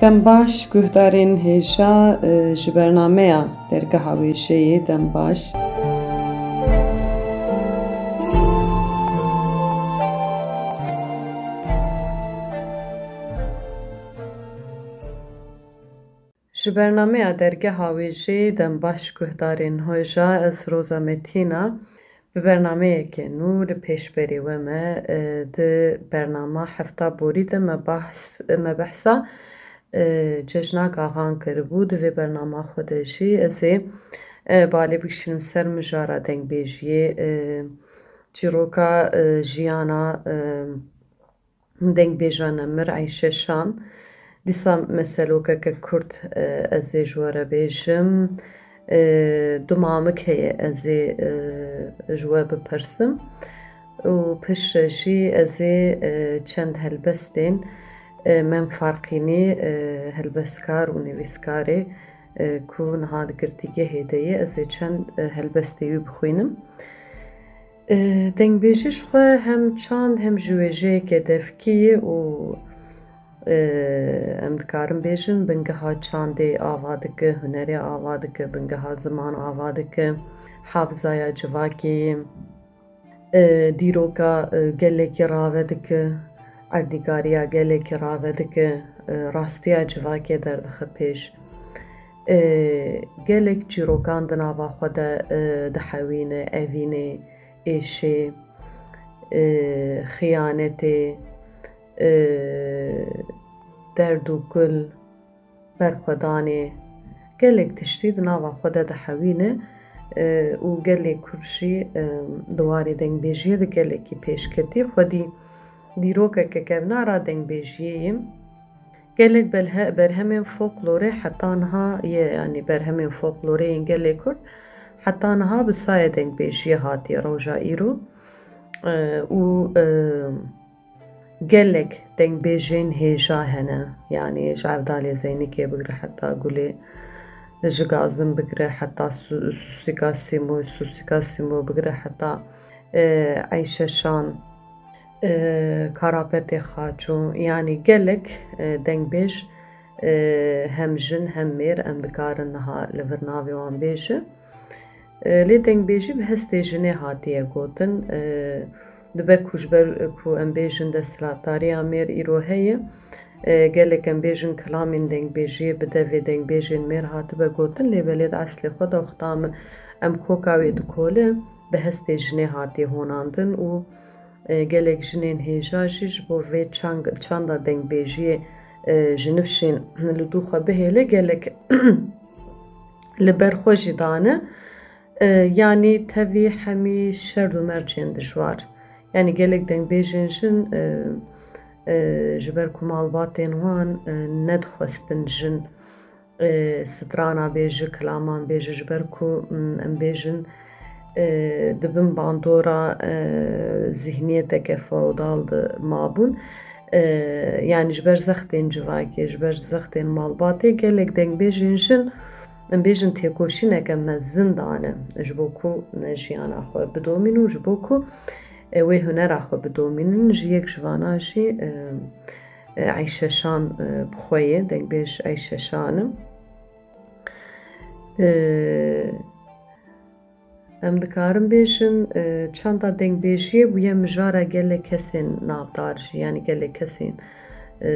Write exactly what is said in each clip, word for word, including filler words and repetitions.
Dem baş guhdarên hêja, e, ji bernameya Dergeha Wêjeyê dem baş. Ji bernameya Dergeha Wêjeyê dem baş guhdarên hêja, ez Roza Metîna. Bi bernameyeke nû li pêşberî we me, e, di bernama Hefta Borî de me bahs, me behsa, e, cejna gaxan kiribû. Di vê bernama xwe de jî ez ê, e, balê bikişînim ser mijara dengbêjiyê, e, çîroka, e, jiyana, e, dengbêja nemir Eyşe Şan. Dîsa meselokeke kurt, e, ez ê ji we re bêjim. E, du mamik heye ez ê, e, ji we bipirsim. Û piştre jî ez ê, e, çend helbestên, e, Mem Farqînî, e, helbestkar û nivîskarê, e, ku niha di girtîgehê de ye, ez ê çend, e, helbestê wî bixwînim. E, dengbêjî ji xwe hem çand hem jî wêjeyeke devkî ye û, e, em dikarin bêjin bingeha çandê ava dike, hunerê ava dike, bingeha ziman ava dike, hafizaya civakê ye, e, dîroka, e, gelekî rave dike, erdnîgariya gelekî rave dike, e, rastiya civakê derdixe pêş. E, gelek çîrokan di nava xwe de, e, dihewîne, evînê, êşê, e, xiyanetê, e, derd û kul, berxwedanê, gelek tiştî di nava xwe de dihewîne, e, û gelê Kurd jî, e, di warê dengbêjiyê de gelekî pêşketî xwedî dîrokeke kevnar a dengbêjiyê ye. Gelek belhe-, berhemên folklorê heta niha ye, yanî berhemên folklorê yên gelê Kurd heta niha bi sayê dengbêjiyê hatiye roja îro. E, û, e, gelek dengbêjên hêja hene, yanî ji Evdalê Zeynikê bigire heta Gulê, ji Gazim bigire heta Su-, Susika Sîmo, Susika Sîmo bigire heta, e, Eyşe Şan, e, Karapetê Xaço, yanî gelek, e, dengbêj, e, hem jin hem mêr em dikarin niha li vir navê wan bêjin. E, lê dengbêjî bi hestê jinê hatiye gotin. E, dibe ku ji ber ku em bêjin desthilatdariya mêr îro heye, e, gelek em bêjin kilamên dengbêjiyê bi devê dengbêjên mêr hatibe gotin, lê belê di eslê xwe de wexta em, em koka wê dikole, bi hestê jinê hatiye honandin û, e, gelek jinên hêja jî ji bo vê çang-, çanda dengbêjiyê, e, ji nifşên li dû xwe bihêle gelek li ber xwe jî dane. E, yanî tevî hemî şerd û mercên dijwar. Yanî gelek dengbêjên jin, e, e, ji ber ku malbatên wan, e, nedixwestin jin, e, strana bêje, kilaman bêje, ji ber ku, m, em bêjin, e, di bin bandora, e, zihniyeteke feodal de mabûn. E, yanî ji ber zextên civakê, ji ber zextên malbatê gelek dengbêjên jin, em bêjin têkoşîneke mezin dane ji bo ku jiyana xwe bidomînin û ji bo ku, e, wê hunera xwe bidomînin. Ji yek ji vana jî, e, e, Eyşe Şan, e, bi xwe ye, dengbêj Eyşe Şan e. E, Em dikarin bêjin, e, çanda dengbêjiyê bûye mijara gelek kesên navdar jî, yanî gelek kesên, e,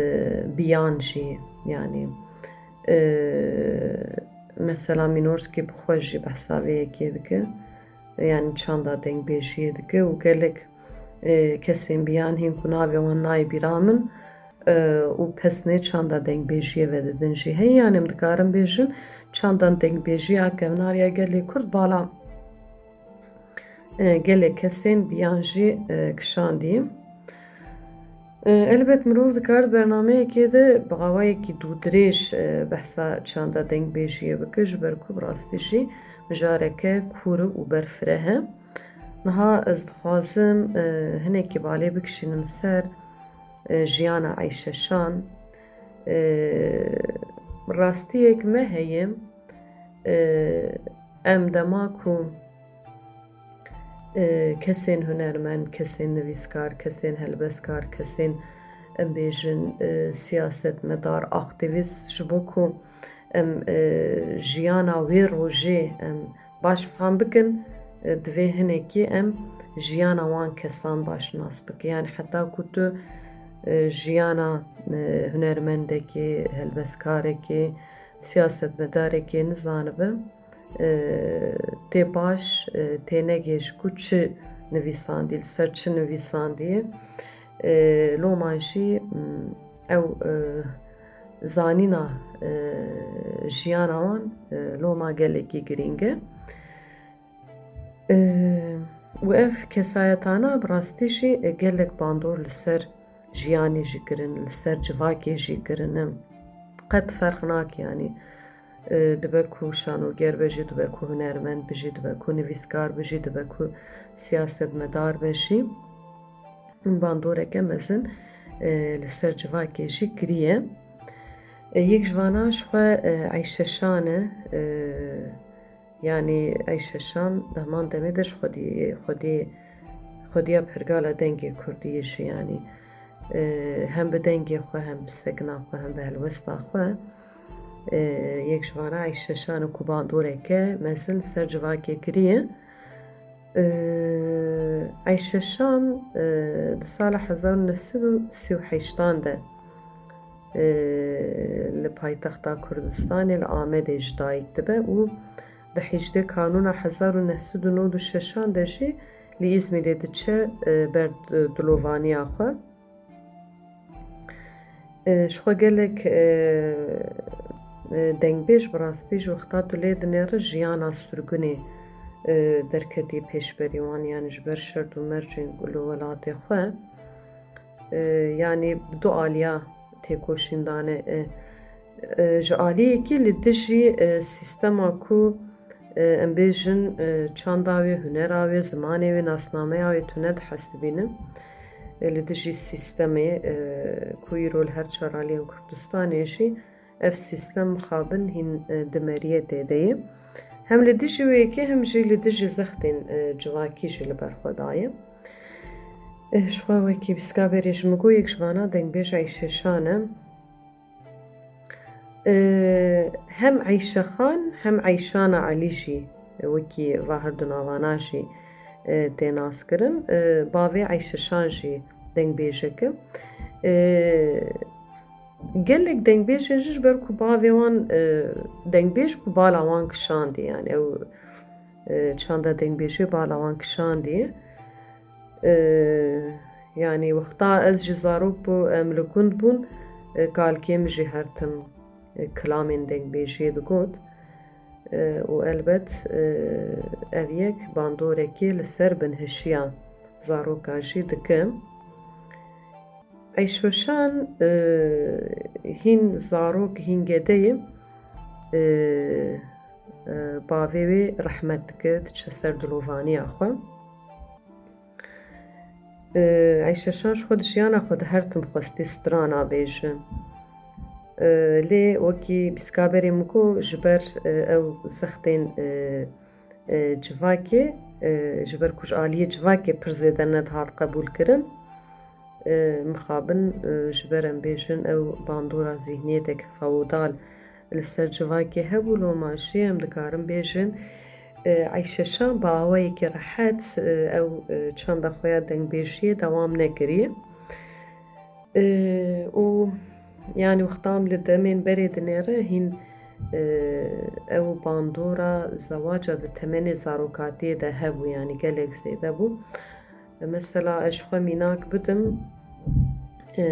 biyan jî, yanî, e, mesela Mînorskî bi xwe jî behsa vê yekê dike, yanî çanda dengbêjiyê dike û gelek, e, kesên biyan hîn ku navê wan nayê bîra min, e, û pesnê çanda dengbêjiyê vedidin jî heye. Yanî em dikarin bêjin, çanda dengbêjiya kevnar ya gelê Kurd bala, e, gelek kesên biyan jî, e, kişandiye. E, elbet mirov dikar bernameyekê de bi awayekî dûdirêj, e, behsa çanda dengbêjiyê bike, ji ber ku bi rastî jî mijareke kûr û berfireh e. Niha ez dixwazim, e, hinekî balê bikişînim ser, e, jiyana Eyşe Şan. E, rastiyek me heye, e, em dema ku, e, kesên hunermend, kesên nivîskar, kesên helbestkar, kesên, em bêjin, e, siyasetmedar, aktîvîst, ji bo ku em, e, jiyana wê rojê em baş fam bikin, e, divê hinekî em jiyana wan kesan baş nas bikin. Yani heta ku tu, e, jiyana, e, hunermendekê, helbestkarekê, siyasetmedarekê nizanibe, e, tê baş, e, tê negê ji ku çi nivîsandî, li ser çi nivîsandî. E, loma jî, m, ew, e, zanîna, e, jiyana wan, e, loma gelekî girîng e. E, û ev kesayetana bi rastî jî, e, gelek bandor li ser jiyanê jî kirin, li ser civakê jî kirine. Qet ferq nake, yanî, e, dibe ku şanoger be jî, dibe ku hunermend be jî, dibe ku nivîskar be jî, dibe ku siyasetmedar be jî, bandoreke mezin, e, li ser civakê jî kiriye. E, yek ji vana ji xwe, e, Eyşe Şan e, e, Yanî Eyşe Şan di heman demê de ji xwedî, xwedî, xwediya pergala dengê kurdî ye jî, yanî, e, hem bi dengê xwe, hem bi sekina xwe, hem bi helwesta xwe, e, yek ji vana Eyşe Şan e ku bandoreke mezin li ser civakê kiriye. E, Eyşe Şan, e, di sala hezar û neh sed û sî û heştan de, e, li paytexta Kurdistanê, li Amedê ji dayik dibe û di hejdê Kanûna hezar û neh sed û nod û şeşan de jî li Îzmîrê diçe, e, ber, e, dilovaniya xwe. E, ji xwe gelek, e, e, dengbêj bi rastî ji wexta tu lê dinêre jiyana sirgûnê, e, derketî pêşberî wan, yanî ji ber şert û mercên ku li welatê xwe, e, yanî bi du aliya têkoşîn dane. E, e, ji aliyekî li dijî, e, sîstema ku, e, em bêjin, e, çanda wê, hunera wê, zimanê wê, nasnameya wê tune dihesibînin. E, li dijî sîstemê, e, ku îro li her çar aliyên Kurdistanê jî ev sîstem mixabin hîn, e, di meriyê tê de ye. Hem li dijî wê yekê hem jî li dijî zextên, e, civakî jî li ber xwe daye. Eh, ji xwe wekî bîska berê ji min got, yek ji vana dengbêj Eyşe Şan e. Eh, hem Eyşe Xan hem Eyşana Elî jî, eh, wekî va her du navana jî, eh, tê naskirin. Eh, bavê Eyşe Şan jî dengbêjek e. Eh, gelek dengbêjên jî ji ber ku bavê wan, eh, dengbêj bû, bala wan kişandî, yani ew, eh, çanda dengbêjê bala wan kişandî. E, yanî wexta ez jî zarok bû, em li gund bûn, e, kalkê min jî her tim, e, kilamên dengbêjiyê digot. E, û elbet, e, ev yek bandorekê li ser binhişiya zaroka jî dike. Eyşe Şan, e, hîn zarok, hîn gede ye, e, e, bavê wê rehmet dike, diçe ser dilovaniya xwe. E, Eyşe Şan ji xwe di jiyana xwe de her tim xwestî strana bêje. E, lê wekî bîska berê min got, ji ber, e, ew zextên, e, e, civakê, e, ji ber ku ji aliyê civakê pir zêde nedihat qebûlkirin, e, mixabin, e, ji ber em bêjin ew bandora zîhniyetek feodal li ser civakê hebû, loma jî em dikarin bêjin, e, Eyşe Şan bi awayekî rehet, e, ew, e, çanda xwe ya dengbêjiyê dewam nekiriye. E, û, yanî, wexta em li demên berê dinêre, hîn, e, ew bandora zewaca di temenê zarokatiyê de hebû, yanî gelek zêde bû. Mesela ez ji xwe mînak bidim, e,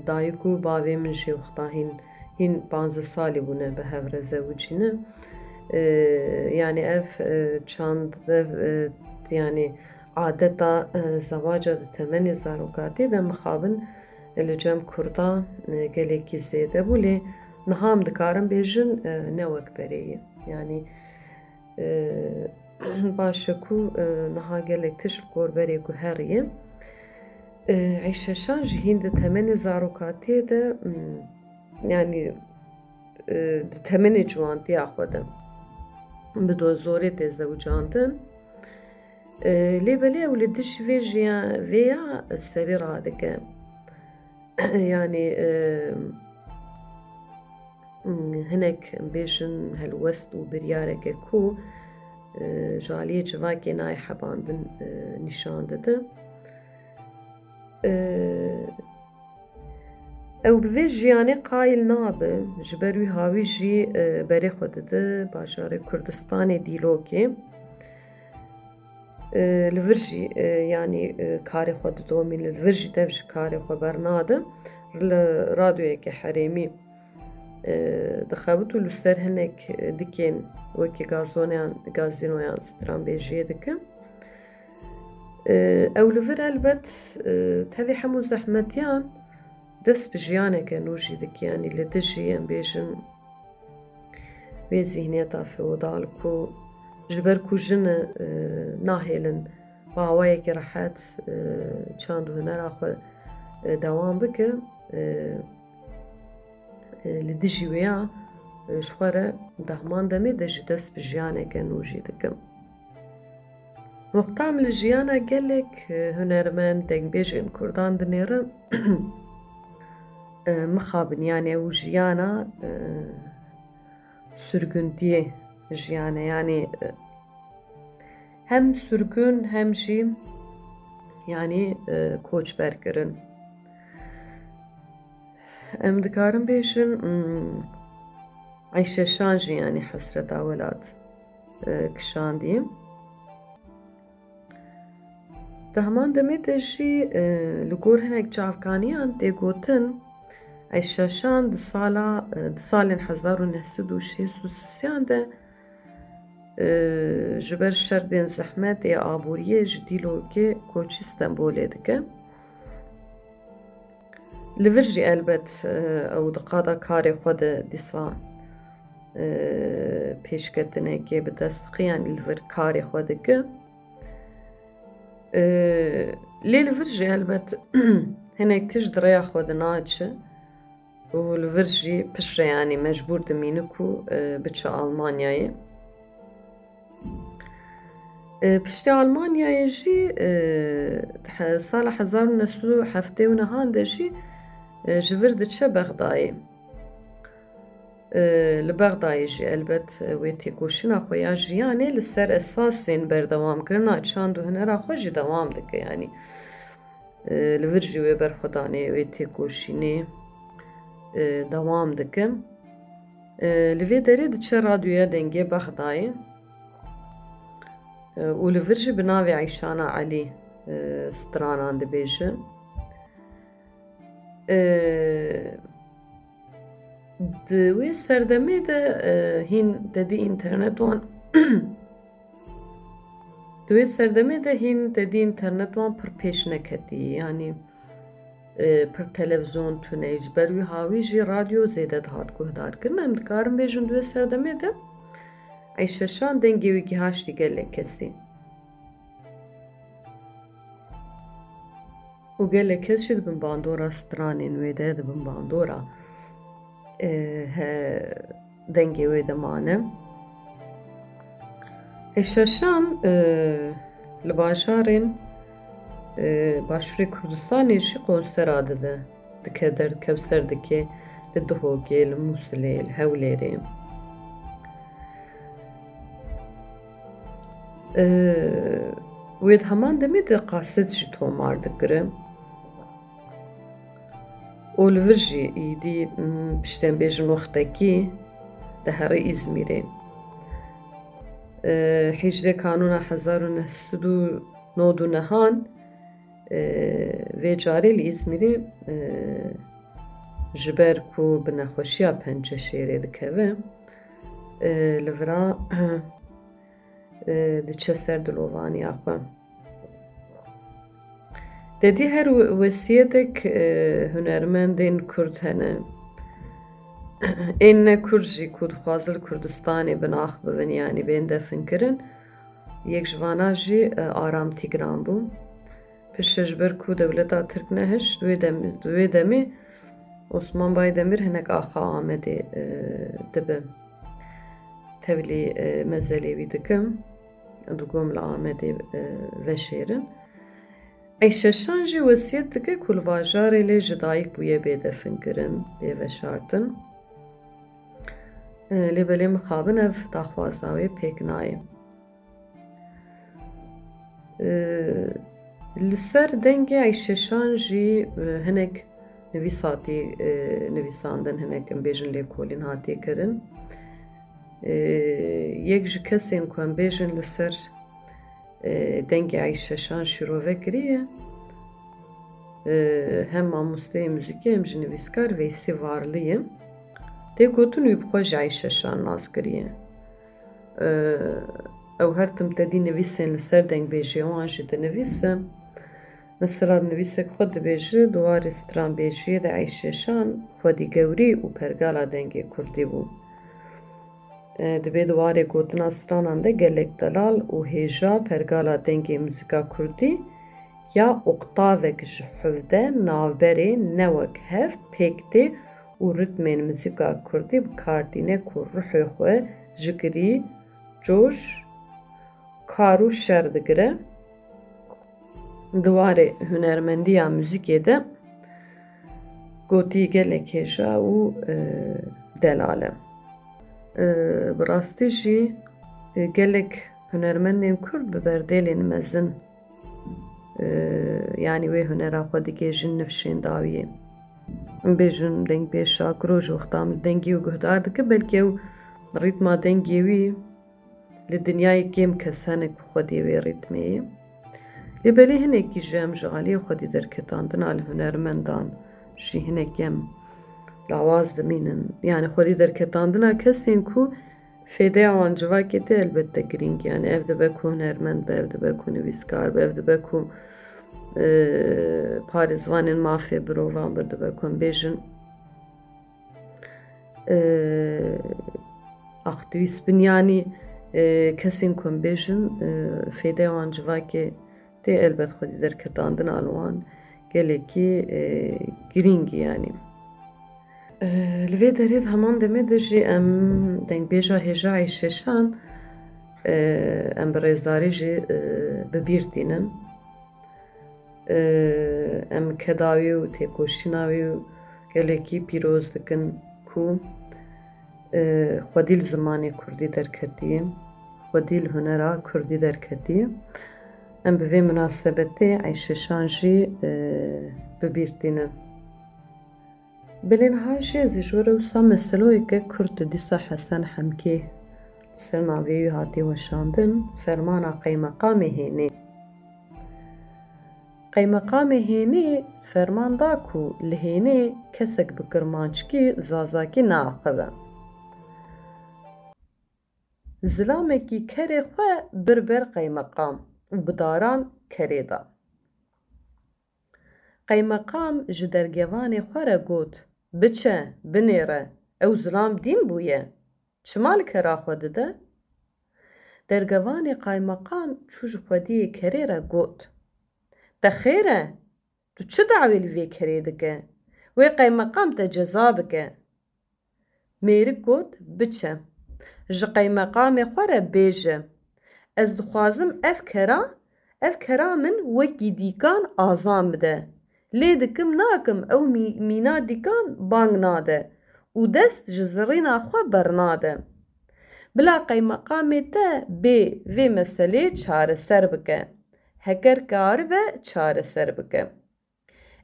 dayik û bavê min jî wexta hîn, hîn panzdeh salî bûne bi hev re zewicîne. E, yanî ev, e, çand, ev, e, yanî adeta, e, zewaca di temenê zarokatiyê de mixabin li cem Kurda, e, gelekî zêde bû, lê niha em dikarin bêjin, e, ne wek berê ye. Yanî, e, baş e ku, e, niha gelek tişt li gor berê guheriye. E, Eyşe Şan jî hîn di temenê zarokatiyê de, m, yanî, e, di temenê ciwantiya xwe de bi do zorê tê zewicandin. E, lê belê ew li dijî vê jiya-, vê ya serî radike. yanî, e, hinek bêjin helwest û biryareke ku, e, ji aliyê civakê nayê hebandin, e, nîşan dide. E, Ew bi vê jiyanê qayil nabe, ji ber wî hawî jî, e, berê xwe dide bajarê Kurdistanê Dîlokê. E, li vir jî, e, yanî, e, karê xwe didomîne, li vir jî dev ji karê xwe bernade. Li radyoyeke herêmî, e, dixebit û li ser hinek, e, dikên wekî gazoneyan, gazînoyan stranbêjiyê dike. E, ew li vir elbet, e, tevî hemû zehmetiyan dest bi jiyaneke nû jî dike, yanî li dijî, em bêjin, wê zîhniyeta feodal ku ji ber ku jin e, nahêlin bi awayekî rehet, e, çand û hunera xwe, e, dewam bike, e, e, li dijî wê ya, e, ji xwe re di heman demê de jî dest bi jiyaneke nû jî dikin. Wexta em li jiyana gelek, e, hunermend, dengbêjên Kurdan dinêrin, e, mixabin, yanî ew jiyana, e, sürgündiyê jiyane, yanî, e, hem sürgün hem jî, yanî, e, koçber kirin. Em dikarin bêjin, hmm, Eyşe Şan jî, yanî, hesreta welat, e, kişandiye. Di heman demê de jî, e, li gor hinek çavkaniyan tê gotin, Eyşe Şan di sala, e, di salên hezar û neh sed û şêst û sisiyan de, e, ji ber şerdên zehmetê aboriyê ji Dîlokê koçî Stenbolê dike. Li vir jî elbet, e, ew di qada karê xwe de dîsa, e, pêşketinekê bi dest xiyan li vir karê xwe dike. E, lê li vir jî elbet hinek tişt di rêya xwe de naçe û li vir jî piştre, yanî mecbûr dimîne ku, e, biçe Almanyayê. E, piştî Almanyayê jî, e, he-, sala hezar û neh sed û heftê û nehan de jî, e, ji vir diçe Bexdayê. E, li Bexdayê jî elbet, e, wê têkoşîna xwe ya jiyanê li ser esasên berdewamkirina çand û hunera xwe jî dewam dike. Yanî, e, li vir jî wê berxwedanê, wê têkoşînê, e, dewam dike. E, li vê derê diçe radyoya dengê Bexdayê, e, û li vir jî bi navê Eyşana Elî, e, stranan dibêje. E, di wê serdemê de, e, hîn te dî înternet wan Di wê serdemê de hîn te dî înternet wan pir pêş neketî, yanî, e, pir televîzyon tune, ji ber wî hawî jî radyo zêde dihat guhdarkirin. Em dikarin bêjin di wê serdemê de Eyşe Şan dengê wî gihaştî gelek kesî. Û gelek kes jî di bin bandora stranên wê de, di bin bandora, e, he, dengê wê de mane. Eyşe Şan, e, li bajarên, e, Başûrê Kurdistanê jî konsera dide. Dike der, kevser dike li Duhokê, li Mûsilê, li Hewlêrê. Ee, wê di heman demê de kaset jî tomar dikire. Û li vir jî îdî, m, piştên bêjin wextekî dihere Îzmîrê. Ee, hîjdeh Kanûna hezar û neh sed û nod û nehan, e, vê carê li Îzmîrê, e, ji ber ku bi nexweşiya penceşêrê dikeve, e, li vira, e, diçe ser dilovaniya xwe. Te dî her we-, wesiyetek, e, hunermendên Kurd hene. Ên ne Kurd jî ku dixwazin li Kurdistanê bi nax bibin, yanî bên definkirin. Yek ji vana jî, e, Aram Tîgran bû. Piştre ji ber ku dewleta Tirk nehişt, di wê dem-, di wê demê Osman Baydemîr hinek axa Amedê, e, dibe. Tevlî, e, mezelê wî dikim. Dikom li Amedê, e, veşêrin. Eyşeşan jî wesiyet dike ku li bajarê lê ji dayik bûye bê definkirin, bê veşartin. E, lê belê mixabin ev daxwaza wê pêk nayê. E, li ser dengê Eyşeşan jî, e, hinek nivîs hatî, e, nivîsandin, hinek em bêjin lêkolîn hatiye kirin. E, yek ji kesên ku em bêjin li ser, e, dengê Eyşeşan şîrove kiriye, e, hem mamosteyê muzîkê hem jî nivîskar Veysî Varlî ye. Tê gotin wî bi xwe jî Eyşeşan nas kiriye. E, ew her tim tedî nivîsên li ser dengbêjiyê wan jî dinivîse. Mesela nivîsek xwe dibêje, di warê stranbêjiyê de Eyşeşan xwedî gewrî û pergala dengê kurdî bû. E, dibê di warê gotina stranan de gelek delal û hêja pergala dengê muzîka kurdî ya oktavek ji hevdeh navberê ne wek hev pêk tê û ritmên muzîka kurdî bi kar tîne ku ruhê xwe ji girî, coş, kar û şer digire. Di warê hunermendiya muzîkê de gotî gelek hêja û, e, delal e. E, bi rastî jî, e, gelek hunermendên kurd bi berdêlên mezin, e, yanî wê hunera xwe digihêjin nifşên dawiyê. Em bêjin dengbêj Şakiro ji wexta min dengê wî guhdar dike, belkî ew rîtma dengê wî li dinyayê kêm kes hene ku xwedî wê rîtmê ye. Lê belê hinekî jî em ji aliyê xwedî derketandina li hunermendan jî hinekî em lawaz dimînin. Yanî xwedî derketandina kesên ku fêdeya wan civakê tê elbette girîng e. Yanî ev dibe ku hunermend be, ev dibe ku nivîskar be, ev dibe ku, e, parêzvanên mafê mirovan be, dibe ku em bêjin, e, aktîvîst bin, yanî, e, kesên ku em bêjin, e, fêdeya wan civakê tê, elbet xwedî derketandina li wan gelekî, e, girîng e, yanî. E, li vê derê di heman demê de jî em dengbêja hêja Eyşeşan, e, em bi rêzdarî jî, e, bi bîr tînin. E, em keda wî û têkoşîna wî û gelekî pîroz dikin ku, e, xwedî li zimanê kurdî derketî, xwedî li hunera kurdî derketî. Em bi vê minasebetê Eyşeşan jî, e, bi bîr tînin. Belê niha jî ez ê ji we re wisa meseloyeke kurt dîsa Hesen Hemkê li ser navê wî hatiye weşandin, fermana qeymeqamê Hênê. Qeymeqamê Hênê ferman da ku li Hênê kesek bi kirmanckî, zazakî neaxive. Zilamekî kerê xwe bir ber qeymeqam û bi daran kerê da. Qeymeqam ji dergevanê xwe re got, "Biçe, binêre, ew zilam dîn bûye. Çima li kera xwe dide?" Dergevanê qaymeqam çû ji xwediyê kerê re got, "Te xêr e, tu çi dawê li vê kerê dike? Wê qeymeqam te ceza bike." Mêrik got, "Biçe, ji qeymeqamê xwe re bêje, 'Ez dixwazim ev kera, ev kera min wekî dîkan azan bide. Lê dikim nakim ew mî-, mîna dîkan bang nade û dest ji zirîna xwe bernade. Bila qeymeqamê te bê vê meselê çareser bike. Heker karibe çareser bike.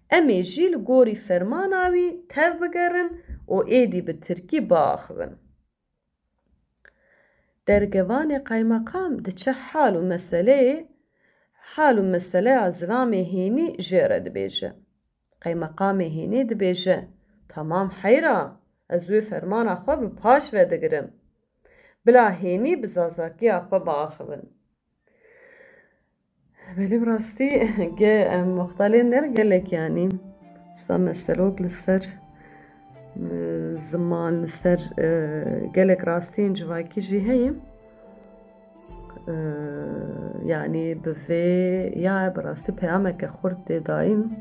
Em ê jî li gorî fermana wî tev bigerin û êdî bi tirkî biaxivin." Dergevanê qaymeqam diçe hal û meseleyê, hal û meseleya zilamê Hênî jê re dibêje. Qaymeqamê Hênî dibêje, "Tamam heyra, ez wê fermana xwe bi paş ve digirim. Bila Hênî bi zazakiya xwe biaxivin." Belê bi rastî ge-, em wexta lê ner gelek, yanî sa meselok li ser, e, ziman, li ser, e, gelek rastiyên civakî jî heye. E, yanî bi vê ya bi rastî peyameke xurt tê dayîn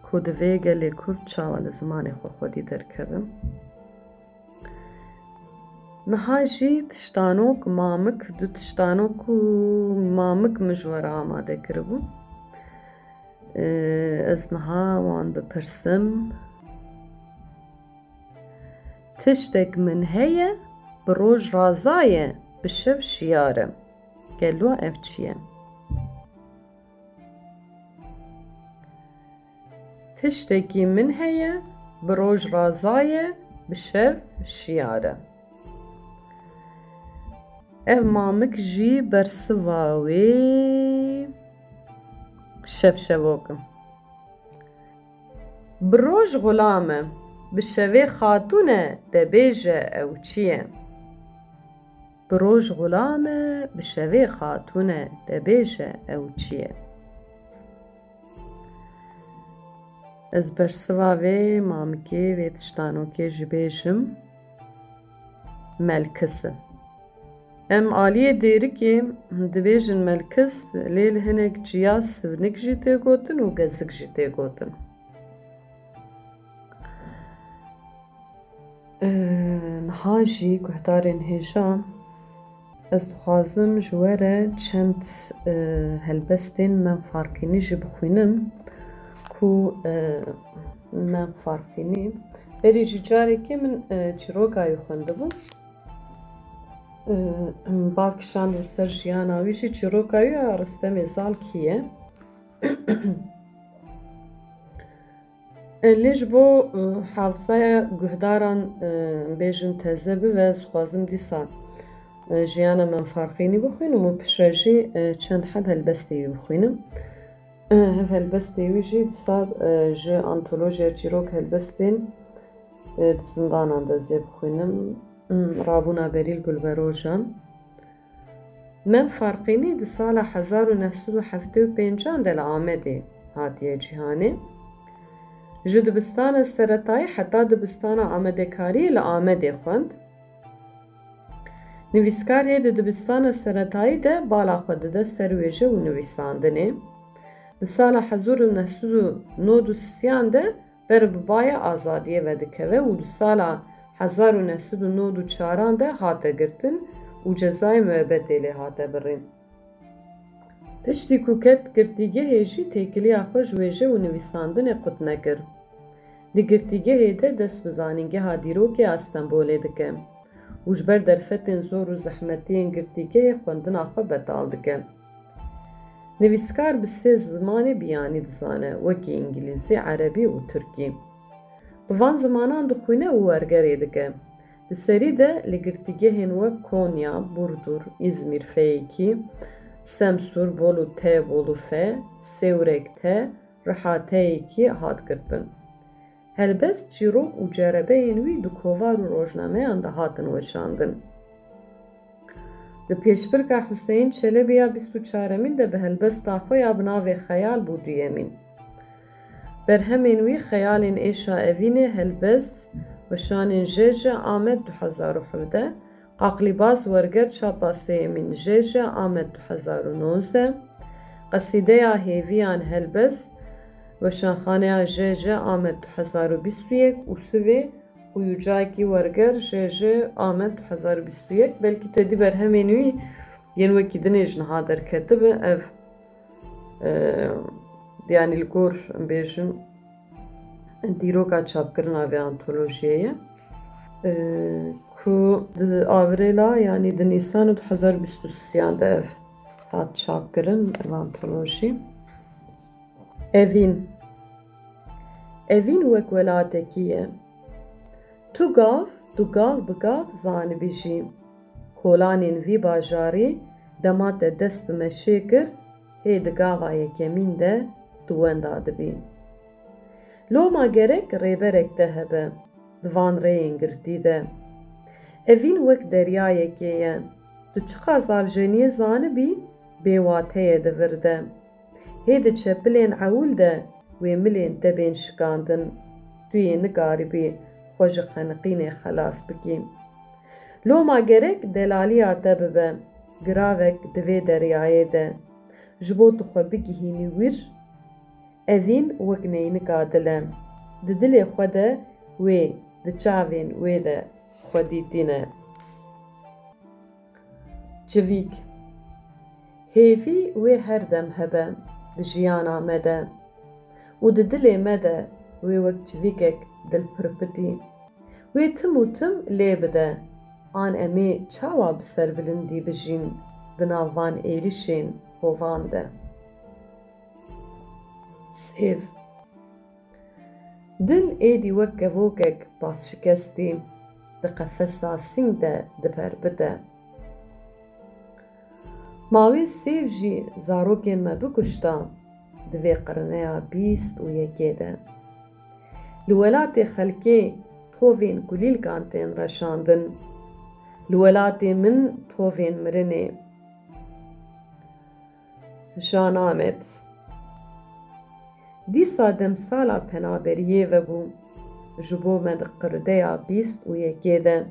ku divê gelê Kurd çawa li zimanê xwe xwedî derkevin. Niha jî tiştanok mamik, du tiştanok û mamik min ji we re amade kiribû. Ee, ez niha wan bipirsim. Tiştek min heye, bi roj raza ye, bi şev şiyar e. Gelo ev çi ye? Tiştekî min heye, bi roj raza ye, bi şev şiyar e. Ev mamik jî bersiva wê şevşevok e. Bi roj xulam e, bi şevê xatûn e, de bêje ew çi ye? Bi roj xulam e, bi şevê xatûn e, de bêje ew çi ye? Ez bersiva vê mamikê, vê tiştanokê jî bêjim, melkis e. Em aliyê dêrikê dibêjin melkis, lê li hinek ciya sivnik jî tê gotin û gezik jî tê gotin. Ee, niha jî guhdarên hêja, ez dixwazim ji we re çend, e, helbestên Mem Farqînî jî bixwînim, ku, e, Mem Farqînî berî jî carekê min, e, çîroka wî xwendibû. E, Bal kişand û ser jiyana wî jî çîroka wî ya Ristemê Zalkî ye. E, lê ji bo, e, hafizaya guhdaran, e, bêjin teze bibe, ez dixwazim dîsa, e, jiyana Mem Farqînî bixwînim û piştre jî, e, çend heb helbestê wî bixwînim. E, hev helbestê wî jî dîsa, e, ji antolojiya çîrok helbestên, e, di zindanan de ez ê bixwînim. Hmm, Rabûna Berî li Gulberojan. Mem Farqînî di sala hezar û neh sed û heftê û pêncan de li Amedê hatiye cîhanê. Ji dibistana seretayî heta dibistana amadekariyê li Amedê xwend. Nivîskar hê di dibistana seretayî de bala xwe dide ser wêje û nivîsandinê. Di sala hezar û neh sed û nod û sisiyan de ber bi baya azadiyê vedikeve û di sala hezar û neh sed û nod û çaran de hate girtin û cezayê muebetê lê hate birîn. Piştî ku ket girtîgehê jî têkiliya xwe ji wêje û nivîsandinê qut nekir. Di girtîgehê de dest bi Zanîngeha Dîrokê a Stenbolê dike û ji ber derfetên zor û zehmetiyên girtîgehê xwendina xwe betal dike. Nivîskar bi sê zimanê biyanî dizane, wekî îngilîzî, erebî û tirkî. Bi van zimanan dixwîne û wergerê dike. Di serî de li girtîgehên wek Konya, Burdur, Îzmîr, Feyekî, Semsûr, Bolu T, Bolu F, Sêwreg T, Riha T yekî hat girtin. Helbest, çîrok û cerebeyên wî di kovar û rojnameyan de hatin weşandin. Di pêşbirka Huseyîn Çelebi ya bîst û çaremîn de bi helbesta xwe ya bi navê Xeyal bû duyemîn. Berhemên wî Xeyalên Êşa Evînê, Helbest, Weşanên J J Amed du hezar û hevdeh, Qaqlîbaz Werger çapa sêyemîn J J Amed du hezar û nozdeh, Qesîdeya Hêviyan Helbest, Weşanxaneya J J Amed du hezar û bîst û yek û Sivê Uyucaki Werger J J Amed du hezar û bîst û yek, belkî te dî berhemên wî yên wekî dinê ji niha derketibi. Ev, e, yanî li gor, em bêjin, dîroka çapkirina vê antolojiyê ye, e, ku di Avrêla, yanî di Nîsanê du hezar bîst û sisiyan de ev hat çapkirin, ev antolojî. Evîn. Evîn wek welatekî ye. Tu gav, tu gav bi gav zanibî jî. Kolanên vî bajarî dema te dest bi meşê kir, hê di gava yekemîn de tu wenda dibî. Loma gerek rêberek te hebe di van rêyên girtî de. Evîn wek deryayekê ye. Tu çiqas avjeniyê zanibî, bêwate ye di vir de. Hê di çepilên ewil de wê milên te bên şikandin, tu yê nikaribî xwe ji xeniqînê xelas bikî. Loma gerek delaliya te bibe, giravek di vê deryayê de, ji bo tu xwe bigihînî wir. Evîn wek neynika dil e. Di dilê xwe de wê, di çavên wê de xwedî tîne. Çivîk. Hêvî wê her dem hebe di jiyana me de. û di dilê me de wê wek çivîkek dilpirpitî. Wê tim û tim lê bide, an em ê çawa bi serbilindî bijîn di nav van êrişên hovan de? Sêv. Dil êdî wek kevokek basşikestî di qefesa sîng de diperpite. Ma wê sêv jî zarokên me bikuşta di vê qirneya bîst û yekê de. Li welatê xelkê tovên kulîlkan tên reşandin. Li welatê min tovên mirinê. Jean Amet. Dîsa demsala penaberiyê vebû. Ji bo me di qirdeya bîst û yekê de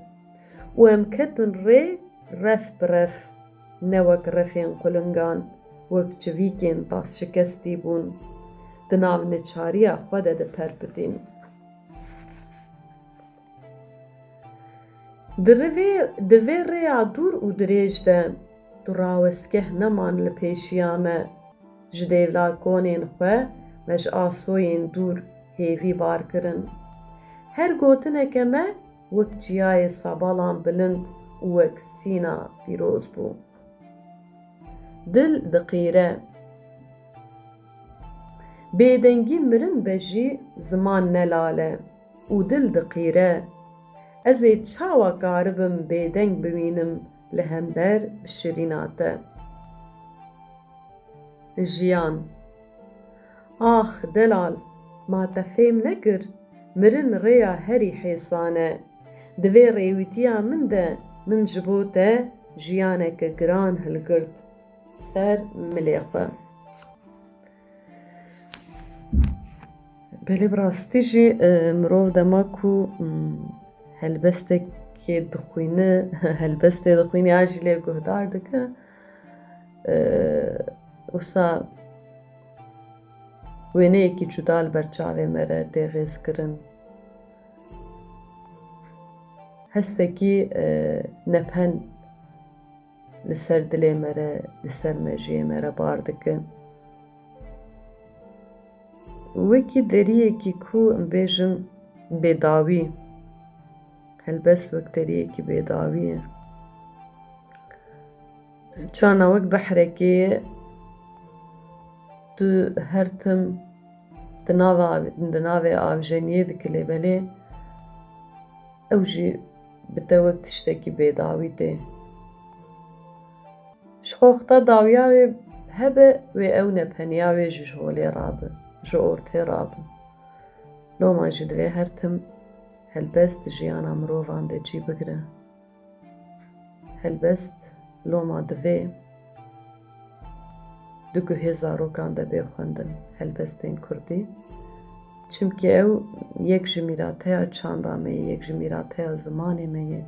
û em ketin rê ref bi ref, ne wek refên qulingan, wek çivîkên basşikestî bûn, di nav neçariya xwe de diperpitîn. Di rivê, di vê rêya dûr û dirêj de tu rawestgeh neman li pêşiya me. Ji dêvla konên xwe me ji asoyên dûr hêvî bar kirin. Her gotineke me wek çiyayê sabalan bilind û wek sîna pîroz bû. Dil diqîre. Bêdengî mirin be jî ziman ne lal e û dil diqîre. Ez ê çawa karibim bêdeng bimînim li hember bi şirîna te? Jiyan. Ax, delal, ma te fêm nekir? Mirin rêya herî hêsan e. Di vê rêwîtiya min de min ji bo te jiyaneke giran hilgirt ser milê xwe. Belê, bi rastî jî, e, mirov dema ku, mm, helbestekê dixwîne, helbestê dixwîne ya jî lê guhdar dike, e, wisa wêneyekî cuda li ber çavê me re tê rêzkirin. Hestekî, e, nepen li ser dilê me re, li ser mejiyê me re bar dike. Wekî deriyekî ku em bêjin bêdawî, helbest wek deriyekî bêdawî ye. Çana wek behrekê ye, tu her tim di nava, di navê avjeniyê dikilê belê, ew jî bi te wek tiştekî bêdawî tê. Ji xwe wexta dawiya wê hebe, wê ew nepeniya wê jî ji holê rabe, ji ortê rabe. Loma jî divê her tim helbest di jiyana mirovan de cî bigire. Helbest loma divê di guhê zarokan de bê xwendin, helbestên kurdî. Çimkî ew yek ji mîrateya çanda me ye, yek ji mîrateya zimanê me ye,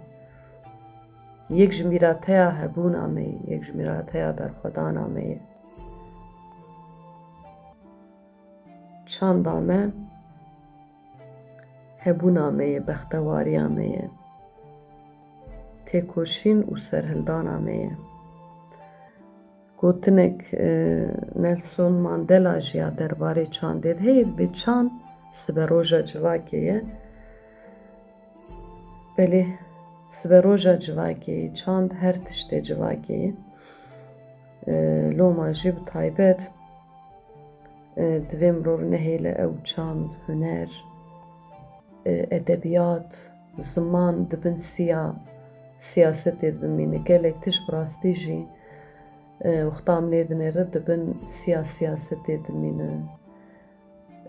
yek ji mîrateya hebûna me ye, yek ji mîrateya berxwedana me ye. Çanda me hebûna me ye, bextewariya me ye, têkoşîn û serhildana me ye. Gotinek, e, Nelson Mandela jî ya derbarê çandê de heye, dibê çand siberoja civakê ye. Belê, siberoja civakê ye, çand her tiştê civakê ye. E, loma jî bi taybet, e, divê mirov nehêle ew çand, huner, e, edebiyat, ziman di bin siya siyasetê de bimîne. Gelek tişt bi rastî jî, e, wexta em lê dinêrin di bin siya siyasetê dimîne.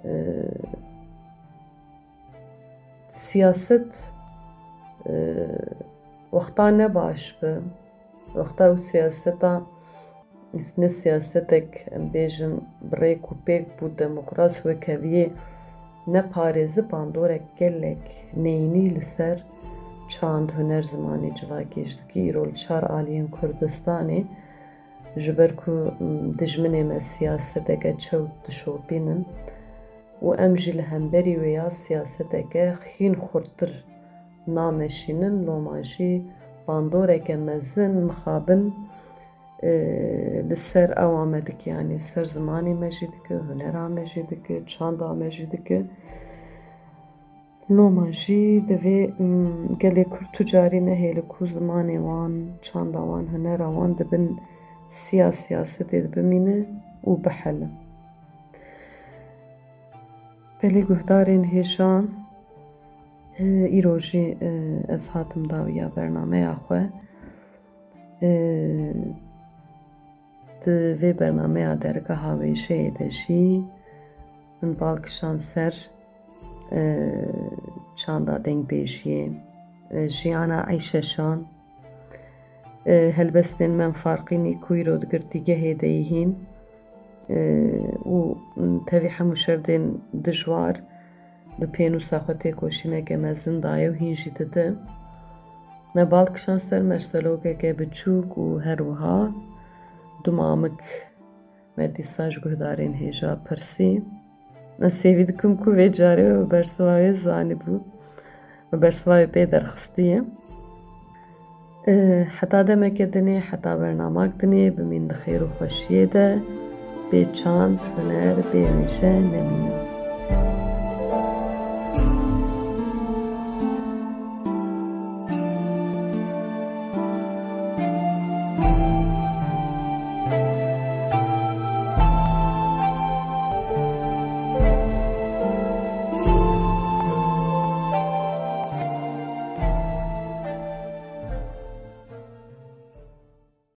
E, siyaset, e, wexta ne baş be, wexta ew siyaseta, ne siyasetek, em bêjin, bi rêk û pêk bû, demokrat, wekheviyê, neparêzi bandorek gelek neyînî li ser çand, huner, zimanê civakê jî dike. Îro li çar aliyên Kurdistanê ji ber ku, m, dijminê me siyaseteke çewt dişopînin û em jî li hemberî wê ya siyaseteke hîn xurttir nameşînin, loma jî bandoreke mezin mixabin, e, li ser ewa me dike, yanî ser zimanê me jî dike, hunera me jî dike, çanda me jî dike. Loma jî divê, mm, gelê Kurd tu carî nehêle ku zimanê wan, çanda wan, hunera wan di bin siya siyasetê de bimîne û bihele. Belê guhdarên hêja, e, îro jî, e, ez hatim dawiya bernameya xwe. E, Di vê bernameya dergeha wêjeyê de jî min bal kişand ser, e, çanda dengbêjiyê, e, jiyana Eyşeşan, e, helbestên Mem Farqînî ku îro di girtîgehê de yî hîn, e, û tevî hemû şerdên dijwar bi pênûsa xwe têkoşîneke mezin daye û hîn jî dide. Me bal kişand ser merselokeke biçûk û her wiha du mamik. Me dîsa ji guhdarên hêja pirsî. Ez hêvî dikim ku vê carê we bi bersiva wê zanîbû, bi bersiva wê pê derxistiye. E, heta demeke dinê, heta bernamak dinê, bimîn di xêr û xweşiyê de, bê çand, huner, bê wêje nemînin.